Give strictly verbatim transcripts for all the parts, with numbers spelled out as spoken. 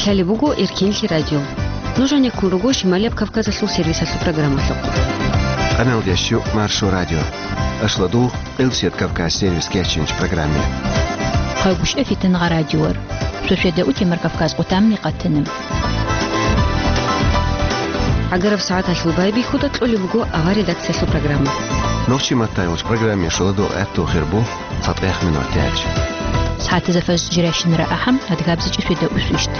Гьале буго Эркинлъи радио. Нуж гьанеккун руго Шималияб Кавказалъул сервисалъул программалъухъ. Къамелдеш Маршо радио. Ашлу дугъ Къилсият Кавказ сервис кечинч программе. Хъайгуща фитангъа радиор. Шошеда утемар Кавказ къутамни къатана. Агараб сагӀаталъул байбихьуда кьолеб буго авар редакциялъул программа. Нохчи маттайгъуч программе шуладу гӀатту хирбу. СатӀех минут тяч. СагӀатазда фаз жиращинара ахӀам, адгабзичӀи шведа усвищт.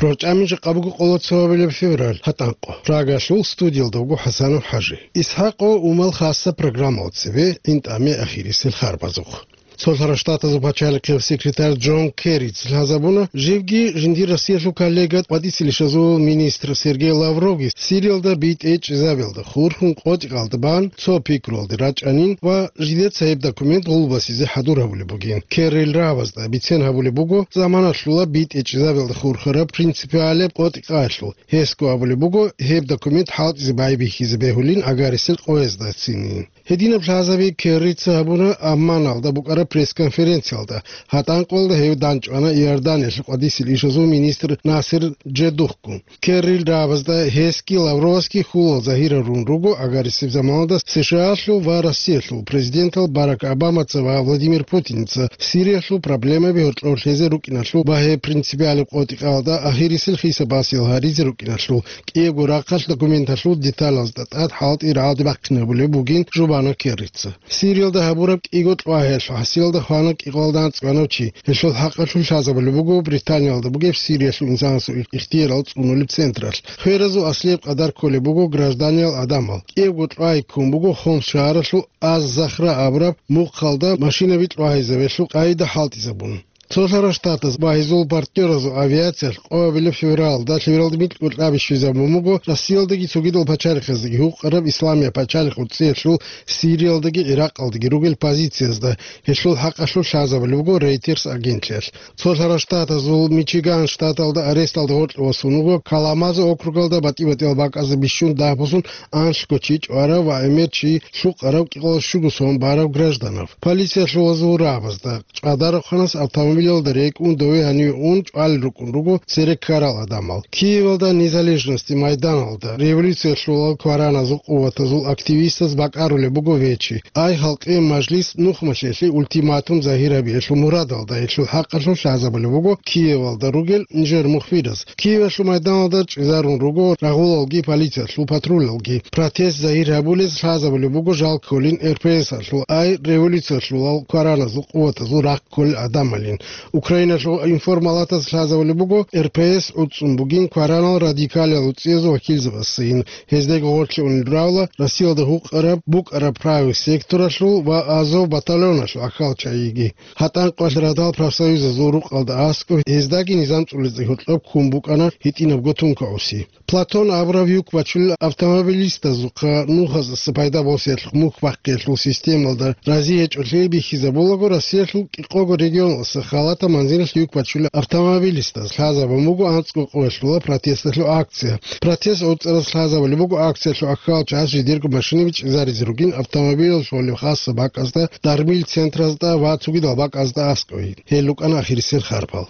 РорчӀамин жакъа буго къоло цо гьабилеб февраль, гьатӀанкъо. Прагалъул студиялда вуго ХӀасанов ХӀажи. ИсхӀакъо умал хасса программал цебе, гӀинтӀаме ахирисел харбазухъ. Цолъарав Штатазул пачалихъев секретарь Джон Керрица лъазабуна, живги жиндир Россиялъул коллега къватӀисел ишазул министр Сергей Лавровги Сириялда битӀе чӀезабиялда хурхун къотӀикъалда бан цо пикруялде рачӀанин ва жидеца гьеб документ гъулбасизе хӀадур гьабулеб бугин. Керрил рагӀабазда бицен гьабулеб буго заманалъула битӀе чӀезабиялда хурхараб принципиалаб къотӀикъаялъул. Гьесго абулеб буго, гьеб документ хӀалтӀизе байбихьизе бегьулин агарисел къояздацинин. Гьединаб лъазаби Керрица гьабуна Амманалда букӀараб пресс-конференциялда. ГьатӀанкъоялда гьев данчӀвана Иорданиялъул къватӀисел ишазул министр Насер Джедухгун. Керрил рагӀабазда гьесги Лавровасги хьулал загьирарун руго агарисеб заманалда СШАлъул ва Россиялъул президентал Барак Обамаца ва Владимир Путинца Сириялъул проблемаби гьоркьор лъезе рукӀиналъул ва гьеб принципиалаб къотӀикъаялда ахирисел хиса-басиял гьаризе рукӀиналъул. КӀиябго рахъалъ документалъул деталазда тӀад хӀалтӀи рагӀаде бахъинабулеб бугин, жубана Керрица. Сириялда гьабураб кӀиго кьвагьиялъул хӀасилалда хвана кӀикъоялда анцӀгоялда чи. Гьелъул хӀакъалъулъ лъазабулеб буго Британиялда бугеб Сириялъул инсанасул ихтиярал цӀунулеб централъ. Хверазул аслияб къадар кколеб буго гражданиял гӀадамал. КӀиябго кьвагьи ккун буго Хомс шагьаралъул Аз-Захра абураб мухъалда машинаби кьвагьизабиялъул къагӀида хӀалтӀизабун. Цолъарав Штатаз ва гьезул партнёразул авиациялъ къоабилеб февралда лъивралда микьго кьаби щвезабун буго Россиялдаги цогидал пачалихъаздаги гьукъараб Исламияб пачалихъ гӀурцӀиялъул Сириялдаги ГӀиракъалдаги ругел позициязда. Гьелъул хӀакъалъулъ лъазабулеб буго Reuters агентлъиялъ. Цолъарав Штатазул Мичиган штаталда аресталда гъоркье васун вуго Каламазо округалда батӀи-батӀиял бакӀазда бищун дагьбусун анлъго чи чӀварав ва гӀемер чи лъукъарав кӀикъоялда щуго сон барав гражданав. Полициялъул вазул рагӀабазда ЧӀадарахъанас автомобилалда рекӀун дове гьаниве ун чӀвалел рукӀун руго цере ккарал гӀадамал. Киевалда Незалежности майданалда революциялъулал квараназул къуватазул активистаз бакӀарулеб буго вечи. Ай халкъе мажлис нухмалъелъе ультиматум загьир гьабиялъул мурадалда гьелъул хӀакъалъулъ лъазабулеб буго Киевалда ругел нижер мухбираз. Киевалъул майданалда чӀезарун руго рагъулалги полициялъул патрулалги. Протест загьир гьабулез лъазабулеб буго жал кколин РПС-алъул, ай революциялъулал квараназул къуватазул рахъ кколел гӀадамалин. Украиналъул информалатаз лъазабулеб буго РПС гӀуцӀцӀун бугин кваранал радикалиял гӀурцӀиязул вакилзабаздайин. Гьездаги гъорлъе унел равла Россиялда гьукъараб букӀараб правый секторалъул ва Азов батальоналъул ахьал чагӀиги. ГьатӀанкъоялъ радал профсоюзазул рукъалда аскӀоб гьездаги низам цӀулизе гьоркьоб ккун букӀана гьитӀинабго тункаоси. Платон абурав юк бачулел автомобилистазухъа нухаздаса пайда босиялъухъ мухь бахъиялъул системалда рази гьечӀолъи бихьизабулаго, Россиялъул кӀикъого регионалдаса халатаб манзилалъ юк бачулел автомобилистаз лъазабун буго анцӀго къоялъула протесталъул акция. Протест гӀорцӀараз лъазабулеб буго акциялъул ахьал чагӀаз жидерго машинаби чӀезаризе ругин автомобилалъулеб хасса бакӀазда, дармил центразда ва цогидал бакӀазда аскӀове. Гьел рукӀана ахирисел харпал.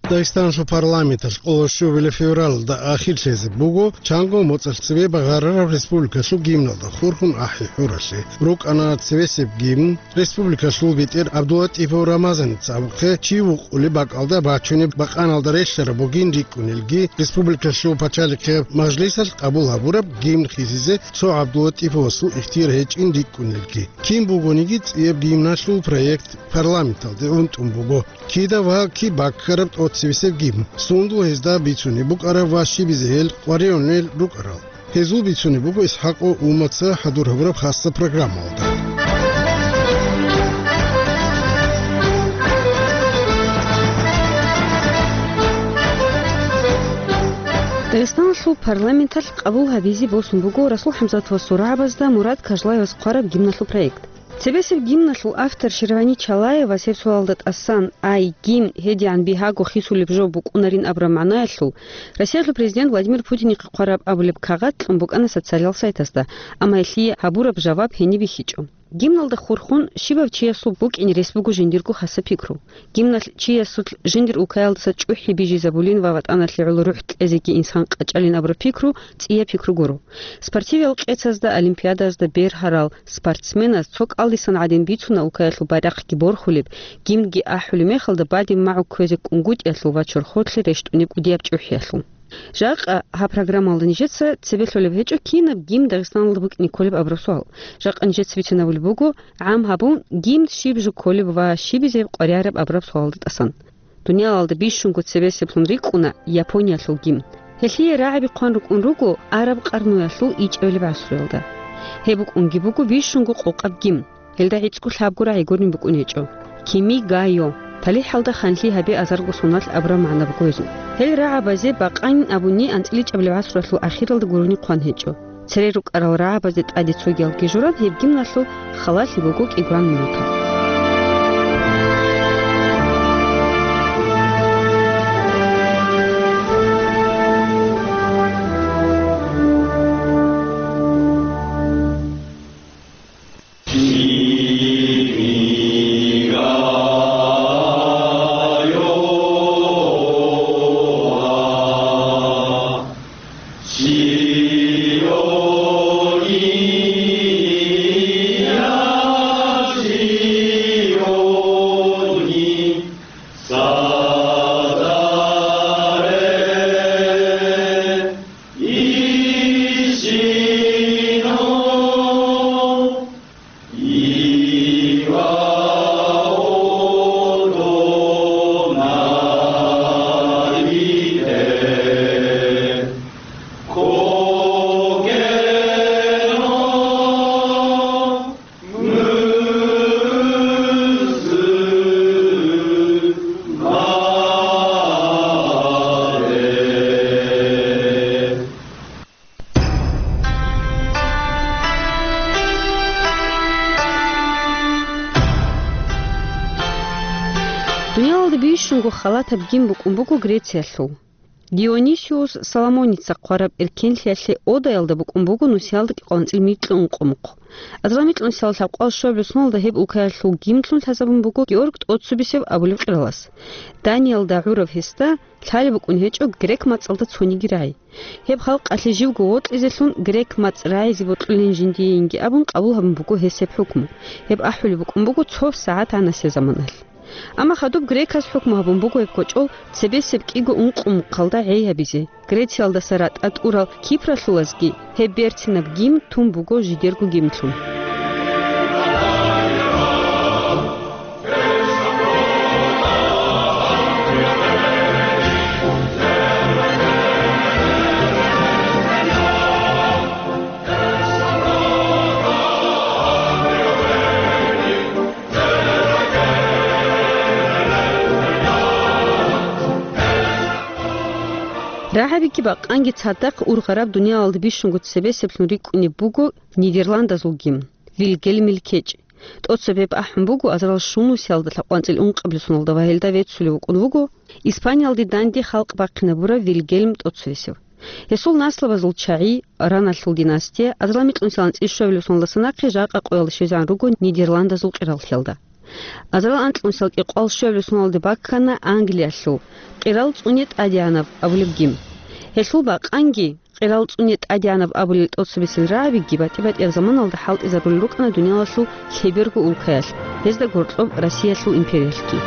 Дагъистаналъул парламенталъ къоло щубилеб февралда ахирлъизе буго чанго моцӀалъ цебе багъарараб республикалъул гимналда хурхун ахӀи хӀуралъе. РукӀана цевесеб гимн, республикалъул бетӀер ГӀабдуллатӀипов Рамазаница абухъе чи вукъулеб бакӀалда бачунеб бакъаналда релълъараб бугин рикӀкӀунелги, республикалъул пачалихъе мажлисалъ къабул гьабураб гимн хисизе цо ГӀабдуллатӀиповасул ихтияр гьечӀин рикӀкӀунелги. Кин бугониги цӀияб гимналъул проект парламенталде гӀунтӀун буго. Кида ва киб баккараб тӀоцебесеб гимн, сундул гьезда бицунеб букӀараб ва щибизе гьел къваригӀунел рукӀарал. Гьезул бицунеб буго ИсхӀакъо Умаца хӀадур гьабураб хасса программалда. Дагъистаналъул парламенталъ къабул гьабизе босун буго Расул ХӀамзатовасул рагӀабазда Мурад Кажлаевас хъвараб гимналъул проект. Цебесеб гимналъул автор Шервани Чалаевас гьеб суалалда тӀасан, ай, гимн гьедигӀан бигьаго хисулеб жо букӀунарин абураб магӀнаялъул, Россиялъул президент Владимир Путинихъе хъвараб абулеб кагъат кьун букӀана социалал сайтасда, амма гьелъие гьабураб жаваб гьениб бихьичӀо. Гимналда хурхун щибав чиясул букӀине рес буго жиндирго хасаб пикру. Гимналъ чиясулъ жиндир улкаялдаса чӀухӀи бижизабулин ва ватӀаналъе гӀоло рухӀ кьезеги инсан къачӀалин абураб пикру цӀияб пикру гуро. Спортивал къецазда, олимпиадаязда бергьарал спортсменаз цо кӀалдисан гӀадин бицуна улкаялъул байрахъги борхулеб, гимнги ахӀулеб мехалда бадиб магӀу кквезе кӀунгутӀиялъул ва чорхолъе рещтӀунеб кӀудияб чӀухӀиялъул. Жакъа гьаб программалда нижеца цебе лъолеб гьечӀо, кинаб гимн Дагъистаналда букӀине кколеб абураб суал. Жакъа нижеца бицинабулеб буго, гӀам гьабун, гимн щиб жо кколеб ва щибизе къваригӀараб абураб суалалда тӀасан. Дуниялалда бищунго цебесеблъун рикӀкӀуна Япониялъул гимн. Гьелъие рагӀаби хъван рукӀун руго араб къарнуялъул ичӀабилеб гӀасруялда. Гьеб букӀунги буго бищунго къокъаб гимн. Гьелда гӀицӀго лъабго рагӀи гурин букӀун гьечӀо: «Кими га йо», «ТалихӀалда ханлъи гьабе азарго соналъ» абураб магӀна буго гьезул. Гьел рагӀабазе бакъанин абуни анцӀила ичӀабилеб гӀасруялъул ахиралда гурони хъван гьечӀо. Цере рукӀарал рагӀабазде тӀаде цогиялги журан, гьеб гимналъул халалъи буго кӀигуран минутал. Дуниялалда бищунго халатаб гимн букӀун буго Грециялъул. Дионисиус Соломоница хъвараб эркенлъиялъе Одаялда букӀун буго нусиялда кӀикъоялда анцӀила микьго ункъо мухъ. Азарилан микьнусиялда лъабкъоялда щуабилеб соналда гьеб улкаялъул гимнлъун лъазабун буго Георг ТӀоццобесев абулев къиралас. Даниял дагӀурав гьесда лъалеб букӀун гьечӀо грек мацӀалда цониги рагӀи. Гьеб халкъалъе живго вокьизелъун грек мацӀ рагӀизе бокьулин жиндиеинги абун къабул гьабун буго гьес гьеб хӀукму. Гьеб ахӀулеб букӀун буго цо сагӀат гьанасеб заманалъ. Амма хадуб греказ хӀукму гьабун буго гьеб кочӀол цебесеб кӀиго ункъо мухъалда гӀей гьабизе. Грециялдаса ратӀа тӀурал кипралъулазги гьеб берцинаб гимн тун буго жидерго гимнлъун. РагӀабиги бакъанги цадахъ ургъараб дуниялалда бищунго цебесеблъун рикӀкӀунеб буго Нидерландазул гимн, Вильгельмил кечӀ. ТӀоцебе ахӀун буго азарал щунусиялда лъабкъоялда анцӀила ункъабилеб соналда ва гьелда веццулев вукӀун вуго Испаниялде данде халкъ бахъинабурав Вильгельм ТӀоцевесев. Гьесул наслабазул чагӀи, Раналъул династия, азарил микьнусиялда анцӀила щуабилеб соналдаса нахъе жакъа къоялда щвезегӀан руго Нидерландазул къираллъиялда. Азарил анкьнусиялда кӀикъоялда щуабилеб соналде баккана Англиялъул къирал цӀуне тӀадегӀанаб абулеб гимн. Гьелъул бакъанги, къирал цӀуне тӀадегӀанаб абулел тӀоцебесел рагӀабиги батӀи-батӀияб заманалда хӀалтӀизарулел рукӀана дуниялалъул лъеберго улкаялъ, гьезда гьоркьоб Россиялъул империялъги.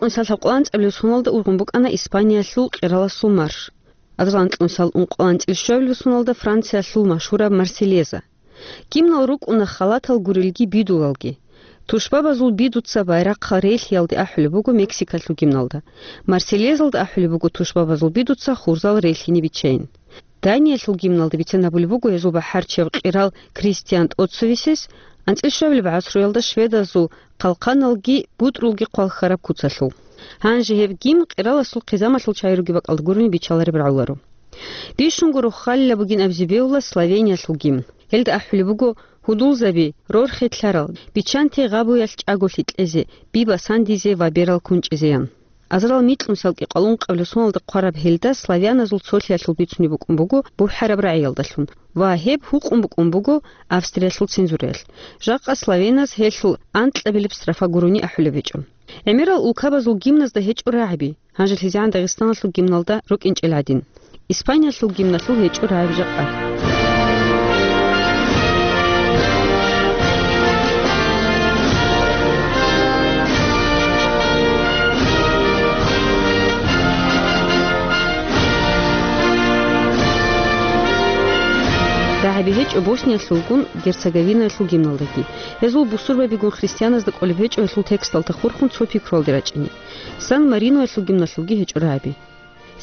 анцӀила ункъоялда ургъун букӀана Испаниялъул къираласул марш. Азарилан анцӀила ункъоялда Франциялъул машгьураб Марсельеза. Гимнал рукӀуна халатал гурелги бидулалги. Тушбабазул бидуца байрахъал релълъиялде ахӀулеб буго Мексикалъул гимналда. Марсельезалда ахӀулеб буго тушбабазул бидуца хурзал релълъине биччайин. Даниялъул гимналда бицен гьабулеб буго гьезул бахӀарчияв къирал Кристиан тӀоцевесес анцӀила гӀасруялда шведазул хъалхъаналги бутӀрулги хъвалхьараб куцалъул. Гьанже гьеб гимн къираласул хъизамалъул чагӀи ругеб бакӀалда гурони биччалареб рагӀуларо. Бищунго рохалила бугин абизе бегьула Словениялъул гимн. Гьелда ахӀулеб буго гьудулзаби, рорхи лъарал, биччанте гъабуялъ чӀаголъи кьезе, би басандизе ва берал кунчӀизеян. Азарилан микьнусиялда кӀикъоялда ункъабилеб соналда хъвараб гьелда славяназул цолъиялъул бицунеб букӀун буго бухӀараб рагӀиялдалъун ва гьеб гьукъун букӀун буго Австриялъул цензураялъ. Жакъа славяназ гьелъул анкьабилеб строфа гурони ахӀулеб гьечӀо. ГӀемерал улкабазул гимназда гьечӀо рагӀаби, гьанже лъизегӀан Дагъистаналъул гимналда рукӀинчӀел гӀадин. Испаниялъул гимналъул гьечӀо рагӀаби жакъа. РагӀаби гьечӀо Босниялъулгун Герцеговинаялъул гимналдаги. Гьезул бусурбабигун христианазда кӀолеб гьечӀо гьелъул тексталда хурхун цо пикруялде рачӀине. Сан-Мариноялъул гимналъулги гьечӀо рагӀаби.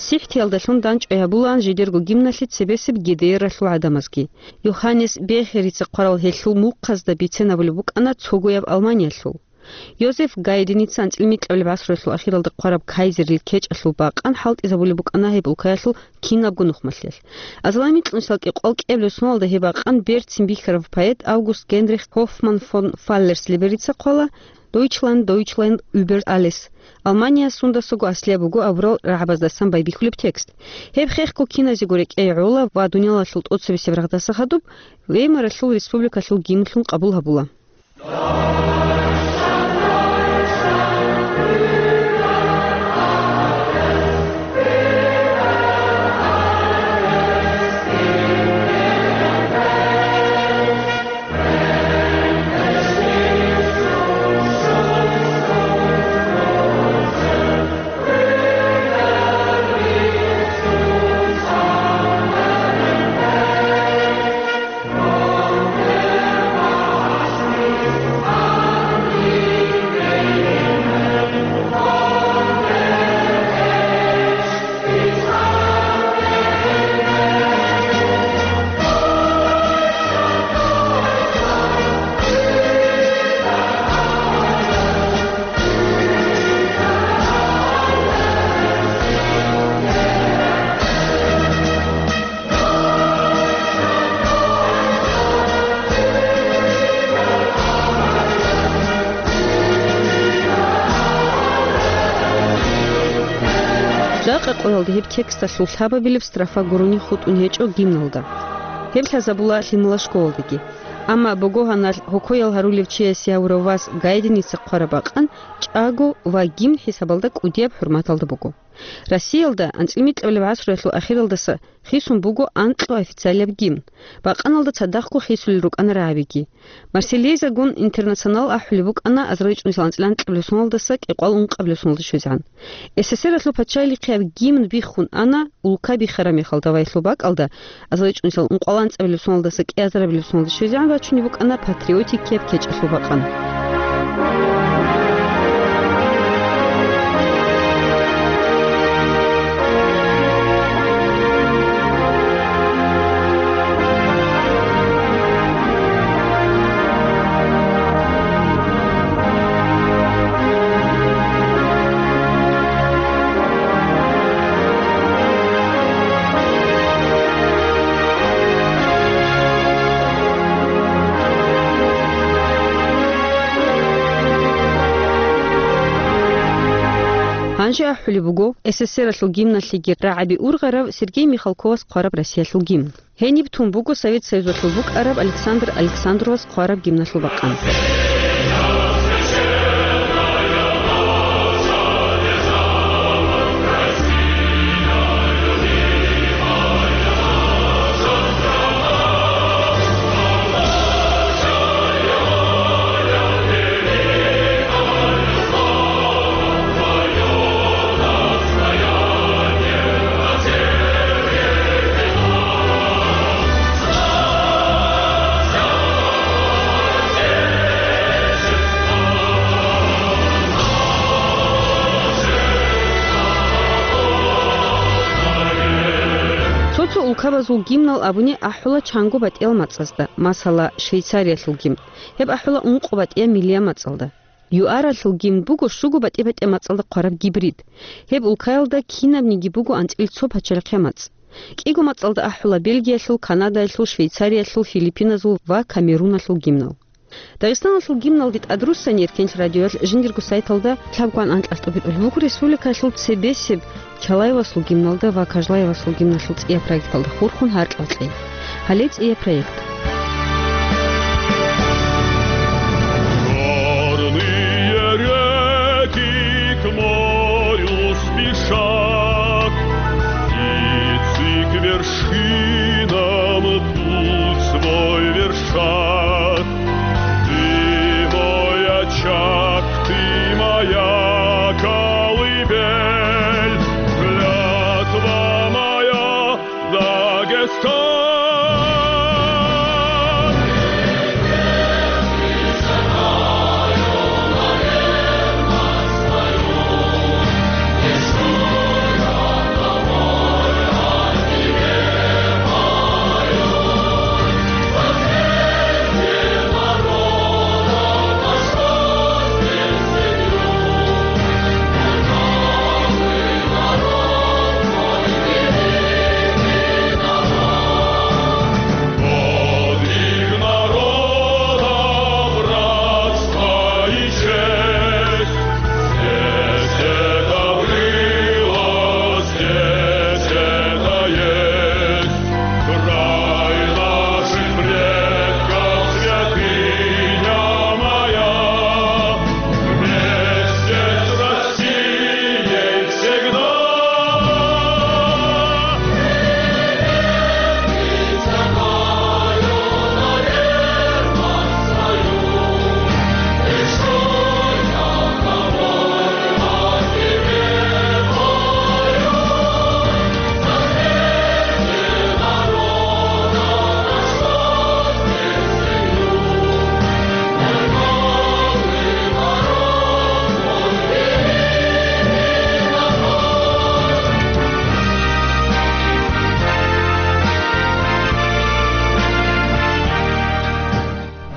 СихӀтиялдалъун дандчӀвай гьабулаан жидерго гимналъе цебесеб ГДРалъул гӀадамазги. Йоханнес Бехерица хъварал гьелъул мухъазда бицен гьабулеб букӀана цогояб Алманиялъул. Йозеф Гайденица анцӀила микьабилеб гӀасруялъул ахиралда хъвараб кайзерил кечӀалъул бакъан хӀалтӀизабулеб букӀана гьеб улкаялъул кинабго нухмалъиялъ. Азарилан микьнусиялда кӀикъоялда кӀиабилеб соналда гьеб бакъан берцин бихьарав поэт Август Генрих Гофман фон Фаллерслеберица хъвала, Deutschland, Deutschland über alles. Алмания сундасаго аслияб буго абурал рагӀабаздасан байбихьулеб текст. Гьеб хехго киназего рекӀее гӀола ва дуниялалъул тӀоцебесеб рагъдаса хадуб Веймаралъул республикалъул гимнлъун къабул гьабула. Жакъа къоялда гьеб тексталъул лъабабилеб строфа гурони хутӀун гьечӀо гимналда. Гьеб лъазабула лъимала школалдаги. Амма богогьаналъ гьокоял гьарулев чиясе гьавурав вас Гайденица хъвараб бакъан чӀаго ва гимн хӀисабалда кӀудияб хӀурматалда буго. Россиялда анцӀила микьабилеб гӀасруялъул ахиралдаса хисун буго анкьго официалияб гимн. Бакъаналда цадахъго хисулел рукӀана рагӀабиги. Марсельезагун Интернационал ахӀулеб букӀана азарилан микьнусиялда анцӀила анкьабилеб соналдаса кӀикъоялда ункъабилеб соналда щвезегӀан. СССРалъул пачалихъияб гимн биххун ана улка бихараб мехалда ва гьелъул бакӀалда азарилан микьнусиялда ункъоялда анцӀабилеб соналдаса кӀиазарабилеб соналда щвезегӀан рачунеб букӀана патриотикияб кечӀалъул бакъан. Гьанже ахӀулеб буго СССРалъул гимналъеги рагӀаби ургъарав Сергей Михалковас хъвараб Россиялъул гимн. Гьениб тун буго Совет Союзалъул букӀараб Александр Александровас хъвараб гимналъул бакъан. Кабазул гимнал абуни ахӀула чанго батӀиял мацӀазда, масала, Швейцариялъул гимн. Гьеб ахӀула ункъо батӀияб миллияб мацӀалда. ЮАРалъул гимн буго щуго батӀи-батӀияб мацӀалда хъвараб гибрид. Гьеб улкаялда кинабниги буго анцӀил цо пачалихъе мацӀ. КӀиго мацӀалда ахӀула Бельгиялъул, Канадаялъул, Швейцариялъул, Филиппиназул ва Камеруналъул гимнал. Дагъистаналъул гимналде тӀадруссани Эркенлъ радиоялъ жиндирго сайталда лъабгоан анкьалъ тӀубитӀулеб буго республикаялъул цебесеб Чалаевасул гимналда ва Кажлаевасул гимналъул цӀияб проекталда хурхун гьаркьал кьей. Гьале цӀияб проект. Горные реки к морю спешат, птицы к вершинам путь свой вершат. Ты мой очаг, ты моя колыбель, клятва моя, Дагестан. Подвиг народа, братство и честь. Здесь это было, здесь это есть. Край наших предков, святыня моя, вместе с Россией всегда.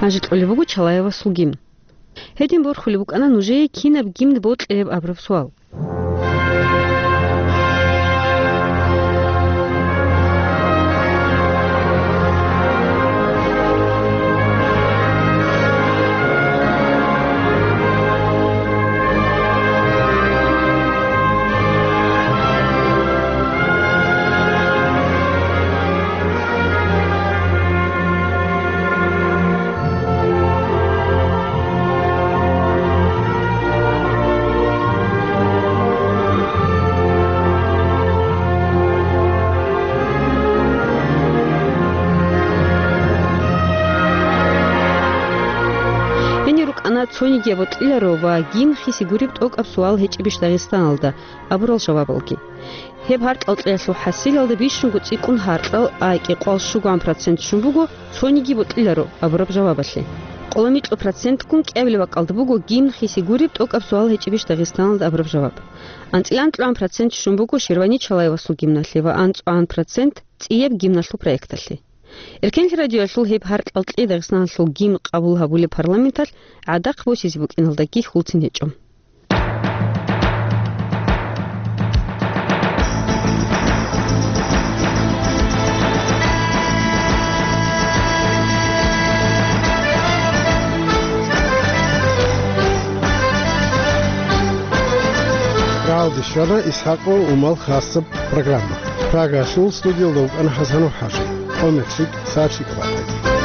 Гьанже кьолеб буго Чалаевасул гимн. Гьедин борхулеб букӀана нужее кинаб гимн бокьилеб абураб суал. Гьенир рукӀана цониги бокьиларо ва гимн хиси гуреб тӀокӀаб суал гьечӀебищ Дагъистаналда абурал жавабалги. Гьеб гьаркьал кьеялъул хӀасилалда бищунго цӀикӀкӀун гьаркьал, а кӀикъоялда щугоан процент щун буго цониги бокьиларо абураб жавабалъе. Къоло микьго процентгун кӀиабилеб бакӀалда буго гимн хиси гуреб тӀокӀаб суал гьечӀебищ Дагъистаналда абураб жаваб. АнцӀила анкьабилеб процент щун буго Шервани Чалаевасул гимналъе ва анцӀабилеб процент цӀияб гимналъул проекталъе. Эркенлъи радиоялъул гьеб гьаркьал кьей Дагъистаналъул гимн къабул гьабулеб парламенталъ гӀадахъ босизе букӀиналдаги хьулцин гьечӀо. Рагьалде щвана Исхакъов Умал хасаб программа. Прагалъул студиялда вукӀана ХӀасанов ХӀажи. КӀомерлъи, сахлъи ккола.